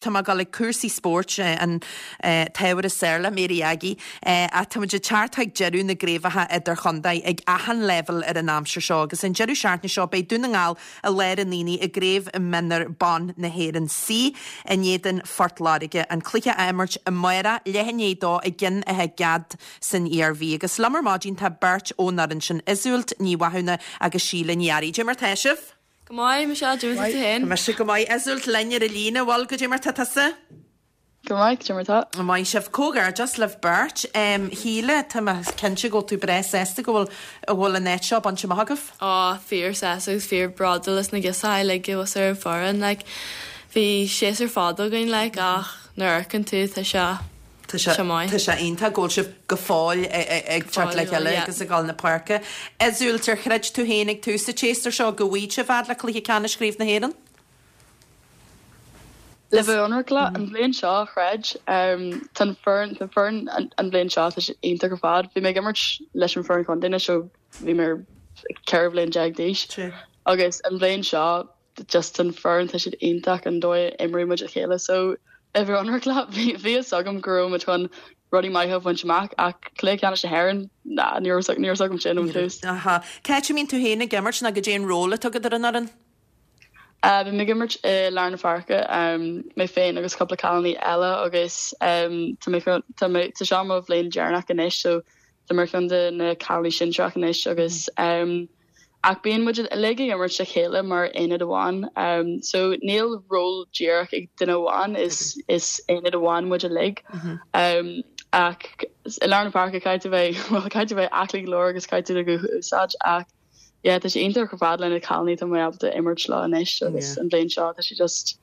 Tá mé ag dul ag cúrsaí spóirt, an t-ábhar is fearr le Mary Aggie, ach tá muid ag teacht chuig deireadh na gcraobhacha idirchontae ag achan leibhéal ar an aimsir seo agus an deireadh seachtaine seo beidh Dún na nGall i lár an aonaigh i gCraobh Mionúr Ban na hÉireann C in éadan Phort Láirge, an cluiche á imirt amárach, leath i ndiaidh a dó i gCeann Átha Gad san Iarmhí. Agus liom ar maidin tá beirt ón fhoireann sin, Iseult Ní Mhathúna agus Síle Ní Fhearraigh. Cad é mar tá sibh? Go maith, Michelle, cad é mar tá tú féin? Tá mise go maith. Iseult linn ar an líne, bhfuil? Cad é mar tá tusa? Go maith, cad é mar tá? Maith sibh. Comhghairdeas libh beirt. Shíle, tá mé cinnte go bhfuil tú breá sásta go bhfuil, go bhfuil an áit seo bainte amach agaibh. Á, fíor sásta agus fíor bródúil as na girseachaí uilig a bhí ar an foireann, like. Bhí séasúr fada againn, like, ach nuair a amharcann tú, tá sé. Tá sé tá sé iontach go bhfuil sibh go fóill ag teacht le chéile agus ag dul na páirce. Iseult, ar chreid tú féin ag tús an tséasúir seo go bhfaighidh sibh fhad le cluiche ceannais Chraobh na hÉireann? Le bheith ionraic leat, an bhliain seo, chreid. Tá an foireann, tá an foireann an bhliain seo, tá sé iontach ar fad. Bhí mé ag imirt leis an foireann chontae anois ó bhí mé 14 bhliain d'aois agus an bhliain seo, just an foireann tá siad iontach an dóigh a imríonn muid le chéile so le bheith ionraic leat bhí bhí fhios agam go raibh muid chun rudaí maithe a bhaint amach ach cluiche ceannais na hÉireann ná ní raibh ní raibh fhios agam sin ón tús. Aha. Cá háit a mbíonn tú féin ag imirt nó goidé an ról atá agat ar an fhoireann? Uh, bím ag imirt i lár na páirce, um, mé féin agus cúpla cailíní eile agus um, tá mé tá mé tá seo mo bhliain deireanach anois so tá mé ar cheann de na cailíní sinsearach anois agus um, Ach bíonn muid uilig ag imirt le chéile mar aonad amháin. So níl ról díreach ag duine amháin, is is aonad amháin muid uilig. Ach i lár na páirce caithfidh tú bheith, bhuel caithfidh tú bheith aclaí go leor agus caithfidh tú do ghuth a úsáid ach yeah tá sé iontach ar fad le na cailíní tá mé ábalta imirt leo anois agus an bhliain seo tá sé just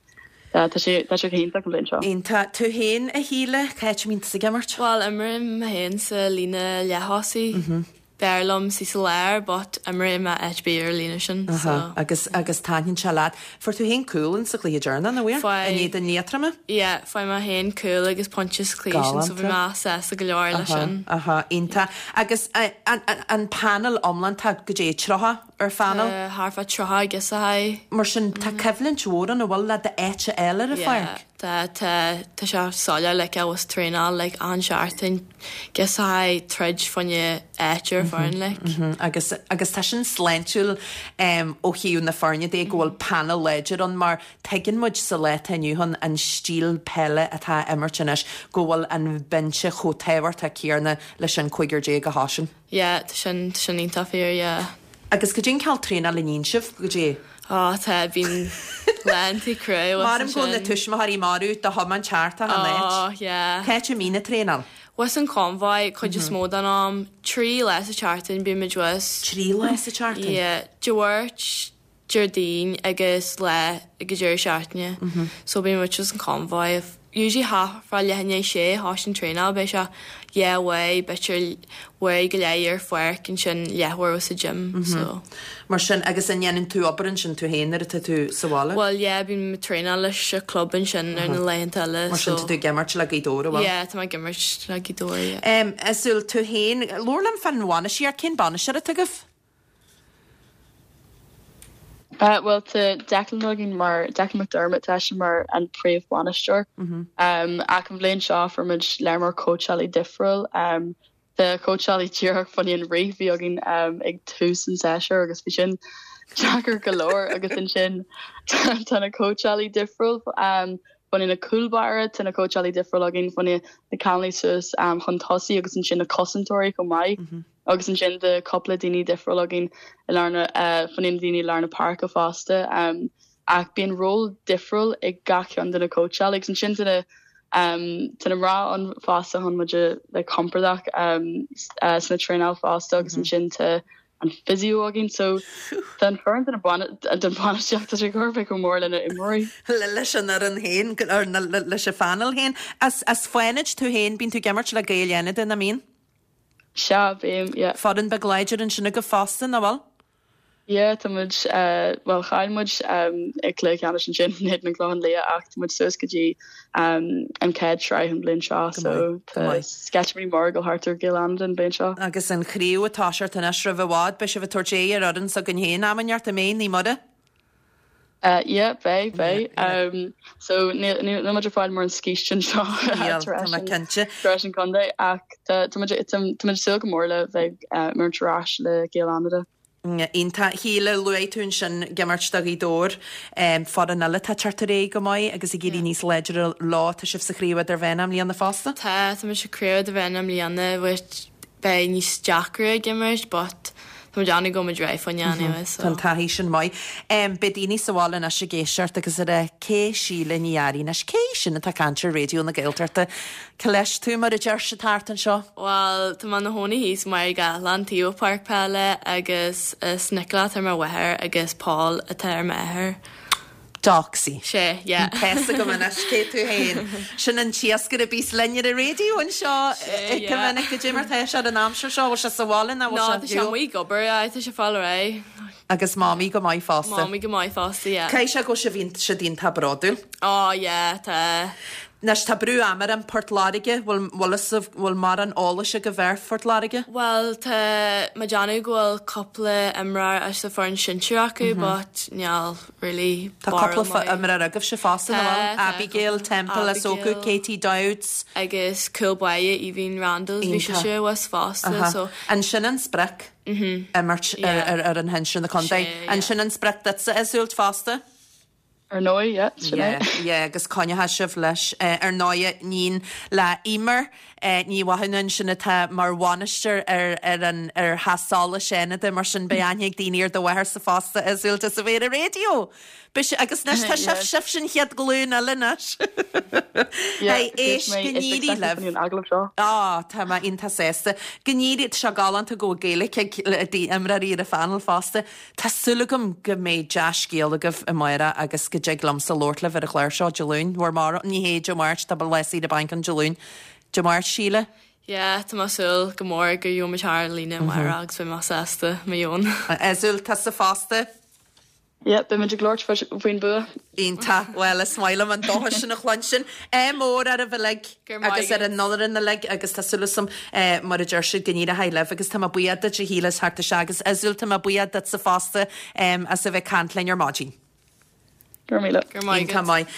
yeah tá sé tá sé go hiontach an bhliain seo. Iontach. Tú féin a Shíle, cá háit a mbíonn tusa ag imirt? Bhuel imrím mé féin sa líne leath-thosaigh. B'fhearr liom suí sa lár but imreoidh mé áit ar bith ar an líne sin so. Aha, agus, agus taitníonn sé leat. Fuair tú féin cúl in sa chluiche deireanach, nach bhfuair? Fuair. In éadan Liatroma? Yeah, fuair mé féin cúl agus pointe sa chluiche sin so bhí mé sásta go leor leis sin. Aha, aha, iontach. Agus an, an, an panel iomlán, tá goidé, 30 ar phanel? Tá thart fá 30 girseachaí. Mar sin, tá coimhlint mhór ann, an bhfuil, le d'áit a fháil ar an Yeah. pháirc? Tá, tá, tá sé soiléir like abhus traenáil like achan seachtain girseachaí troid fá choinne áit ar foireann like. Agus, agus tá sin sláintiúil ó thaobh na foirne de go bhfuil panel láidir ann mar tuigeann muid sa lá atá inniu ann an stíl peile atá á imirt anois go bhfuil an binse chomh tábhachtach céanna leis an 15 a thosaíonn. Yeah, tá sin, tá sin iontach fíor, yeah. Agus goidé an cineál traenáil a níonn sibh, goidé? Á, tá, bíonn laethanta crua Maram go bhfuil na tuismitheoirí marbh do thiomáint thart achan áit. Á, yeah. Cá háit a mbíonn an traenáil? Thuas an Convoy, cuid is mó den am. 3 lá sa tseachtain bímid thuas. 3 lá sa tseachtain? Yeah. Dé Máirt, Déardaoin agus lá ag an deireadh seachtaine. So bíonn muid thuas an Convoy. Usually thart fá leath i ndiaidh a sé a thosaíonn traenáil beidh sé dhá uair b'fhéidir uair go leith ar pháirc ansin leathuair sa gym so. Mar sin agus an ndéanann tú obair ansin tú féin nuair atá tú sa bhaile? Bhuel yeah bím ag traenáil leis an club ansin ar na laethanta eile so. Mar sin tá tú ag imirt le Gaoth Dobhair an bhfuil? Yeah tá mé ag imirt le Gaoth Dobhair yeah. Iseult, tú féin, labhair liom fán bhainistíocht, cén bainisteoir atá agaibh? Bhuel tá Declan againn mar, Declan McDermott, tá eisean mar an príomhbhainisteoir. Ach an bhliain seo fuair muid lear mór cóitseálaí difriúil. Tá cóitseálaí díreach fá choinne an rith a bhí againn ag tús an tséasúir agus bhí sin deacair go leor agus ansin tá na cóitseálaí difriúil fá choinne na cúl báire, tá na cóitseálaí difriúil againn fá choinne na cailíní suas chun tosaigh agus ansin na cosantóirí chomh maith. Agus ansin tá cúpla daoine difriúil againn i lár na, fá choinne na daoine i lár na páirce fosta. Ach bíonn ról difriúil ag gach ceann de na cóitseálaí agus ansin tá na, tá na mná ann fosta chun muid a bheith compordach sna traenáil fosta agus ansin tá an physio againn. So tá an foireann den bhainistíocht tá sé chóir a bheith chomh mór lena imreoirí. Leis an fhoireann féin, leis an phainéal féin. As Fánaid tú féin, bíonn tú ag imirt le Gaeil Fhánada, nach mbíonn? Sea, bím, yeah. Foireann beag láidir ansin agaibh fosta, nach bhfuil? Yeah, tá muid, bhuel chaill muid i gcluiche ceannais ansin in éadan an Clochán Liath ach tá muid suas go dtí an chéad sraith an bhliain seo so tá sceitimíní móra ag dul thart ar Ghaeil Fhánada an bhliain seo. Agus an chraobh ag toiseacht anois roimh i bhfad, beidh sibh ag tabhairt aghaidh ar fhoireann s'againn féin am inteacht, an mbeidh, Naomh Muire? Yeah, beidh, beidh. So níl muid ag fáil mórán scíste anseo tar éis an contae ach tá muid ag súil go mór le bheith ag imirt ar ais le Gaeil Fhánada. Iontach. Shíle, luaigh tú ansin ag imirt do Ghaoth Dobhair, foireann eile atá ag teacht ar aghaidh go maith agus ag éirí níos láidre leo. Tá sibh sa Chraobh Idirmheánach i mbliana fosta? Tá, tá muid sa Chraobh Idirmheánach i mbliana which beidh níos deacra ag imirt but tá muid ann go muid réidh fá choinne anyway so. Tá an taithí sin maith. Beidh daoine sa bhaile anois ag éisteacht agus ag rá cé Síle Ní Fhearraigh anois, cé í sin atá ag caint ar Raidió na Gaeltachta? Cá leis tú mar a deir siad thart anseo? Bhuel, tá mé i mo chónaí thíos i mBaile Gathlán, taobh ó páirc peile agus is Nicola atá ar mo mháthair agus Paul atá ar m'athair. Doxy. Sé, yeah. Tá fhios agam anois cé tú féin. Sin an t-iascaire a bíos linn ar an raidió anseo Sé, go yeah. minic. Goidé mar tá sé ar an aimsir seo? Bhfuil sé sa bhaile nó bhfuil sé ar shiúl? No, tá sé amuigh ag obair, aye, tá sé ag fáil ar aghaidh. Agus Mamaí go maith fosta. Mamaí go maith fosta, yeah. Caithfidh sé go bhfuil sibh iontach, siad iontach bródúil. Ó, yeah, tá. Anois tá brú ama orm, Port Láirge, bhfuil, bhfuil fhios agaibh, bhfuil mórán eolais agaibh ar Phort Láirge? Bhuel, tá mé ag déanamh go bhfuil cúpla imreoir as an foireann sinsir acu but níl really Tá barúil cúpla maith. imreoir agaibhse fosta, nach Tá, bhfuil? tá Abigail cúpla. Temple as Eochaidh, Abigail. Katie Dowds. Agus cúl báire Aoibhín Randalls, bhí Iontach. sise abhus fosta Aha. so. An sin an sprioc? Imirt ar ar fhoireann shinsir na contae. An sin an sprioc duitse, Iseult, fosta? Ar ndóigh, yeah, sin Yeah, é. yeah, agus coinneoidh sibh leis. Ar ndóigh, iníon le Eimear Ní Mhathúna ansin atá mar bhainisteoir ar ar an ar Theach Solais Fhánada, mar sin beidh aithne ag daoine ar do mháthairse fosta, Iseult, as a bheith ar an raidió! Beidh sé, agus anois tá sibh, sibhse an chéad ghlúin eile anois. Yeah, Hey, éist, mé go n-éirí is libh. an agallamh seo. Á, tá mé iontach sásta. Go n-éirí, tá sé galánta go bhfuil Gaeilge ag imreoirí ar an phainéal fosta. Tá súil agam go mbeidh dea-scéal agaibh amárach agus go dtig liomsa labhairt libh ar an chlár seo Dé Luain, bhur mbarúil, ní hé Dé Máirt, tá lá saoire bainc ann Dé Luain. Dé Máirt, Síle? Yeah, tá mé ag súil go mór go gheobhaidh muid thar an líne amárach agus beidh mé sásta, mo dheoin. Iseult, tusa fosta? Yeah, beidh muid ag labhairt faoin bua. Iontach. Bhuel, is maith liom an dóchas sin a chluinstin. Ádh mór oraibh uilig agus ar an fhoireann uilig agus tá súil agam, mar a deir siad, go n-éireoidh libh agus tá mé buíoch duit a Shíle as theacht isteach agus Iseult, tá mé buíoch duitse fosta as a bheith ag caint linn ar maidin. Go raibh míle. Go raibh maith Iontach agat. maith.